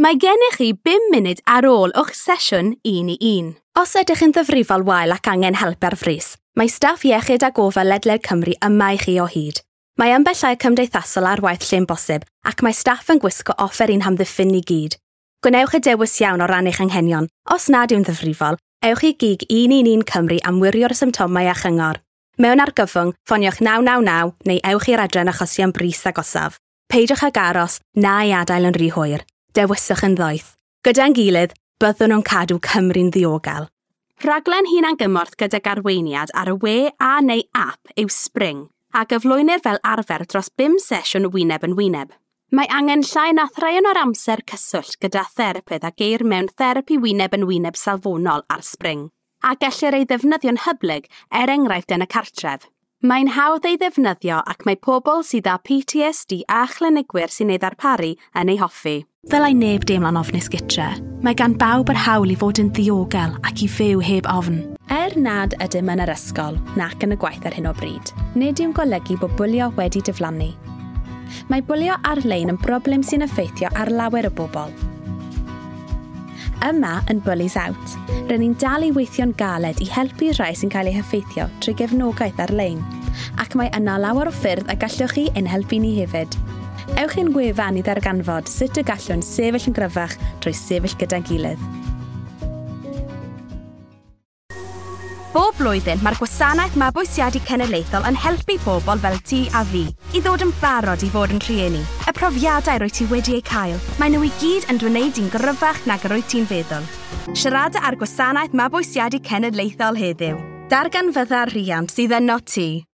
Mae gennych chi 5 munud ar ôl o'ch sesiwn un i un. Os ydych yn ddifrifol wael ac angen help ar frys, mae staff iechyd a gofal ledled Cymru yma i chi o hyd. Mae ymbellau cymdeithasol ar waith lle'n bosib ac mae staff yn gwisgo offer i'n hamddiffyn ni gyd. Gwnewch y dewis iawn o ran eich anghenion. Os nad yw'n ddifrifol, ewch i gig 111 Cymru am wirio'r symptomau a chyngor. Mewn argyfwng, ffoniwch 999 neu ewch i'r adran achosion brys agosaf. Peidiwch ag aros na i adael yn rhy hwyr. Dewiswch yn ddoeth. Gyda'n gilydd, byddwn nhw'n cadw Cymru'n ddiogel. Rhaglen hunangymorth gydag arweiniad ar y we a neu app yw Spring, a gyflwynir fel arfer dros 5 sesiwn wyneb yn wyneb. Mae angen llai na thraean o'r amser cyswllt gyda therapydd a geir mewn therapi wyneb yn wyneb safonol ar Spring, a gellir ei ddefnyddio'n hyblyg er enghraifft yn y cartref. Mae'n hawdd ei ddefnyddio ac mae pobl sydd â PTSD a chlinigwyr sy'n ei ddarparu yn ei hoffi. Ddylai neb deimlo'n ofnus gytre. Mae gan bawb yr hawl i fod yn ddiogel ac i fyw heb ofn. Er nad ydym yn yr ysgol nac yn y gwaith ar hyn o bryd, nid yw'n golygu bod bwlio wedi diflannu. Mae bwlio ar-lein yn broblem sy'n effeithio ar lawer o bobl. Yma yn Bullies Out, rydyn ni'n dal i weithio'n galed i helpu rhai sy'n cael eu heffeithio trwy gefnogaeth ar-lein, ac mae yna lawer o ffyrdd y gallwch chi ein helpu ni hefyd. Ewch i'n gwefan i ddarganfod sut y gallwn sefyll yn gryfach trwy sefyll gyda'n gilydd. Bob blwyddyn, mae'r gwasanaeth mabwysiadu cenedlaethol yn helpu pobl fel ti a fi i ddod yn barod i fod yn rhieni. Y profiadau rwy ti wedi eu cael, maen nhw i gyd yn dwneud i'n gryfach nag yr wyt ti'n feddwl. Siarada ar gwasanaeth mabwysiadu cenedlaethol heddiw. Darganfydda'r rhiant sydd yno ti.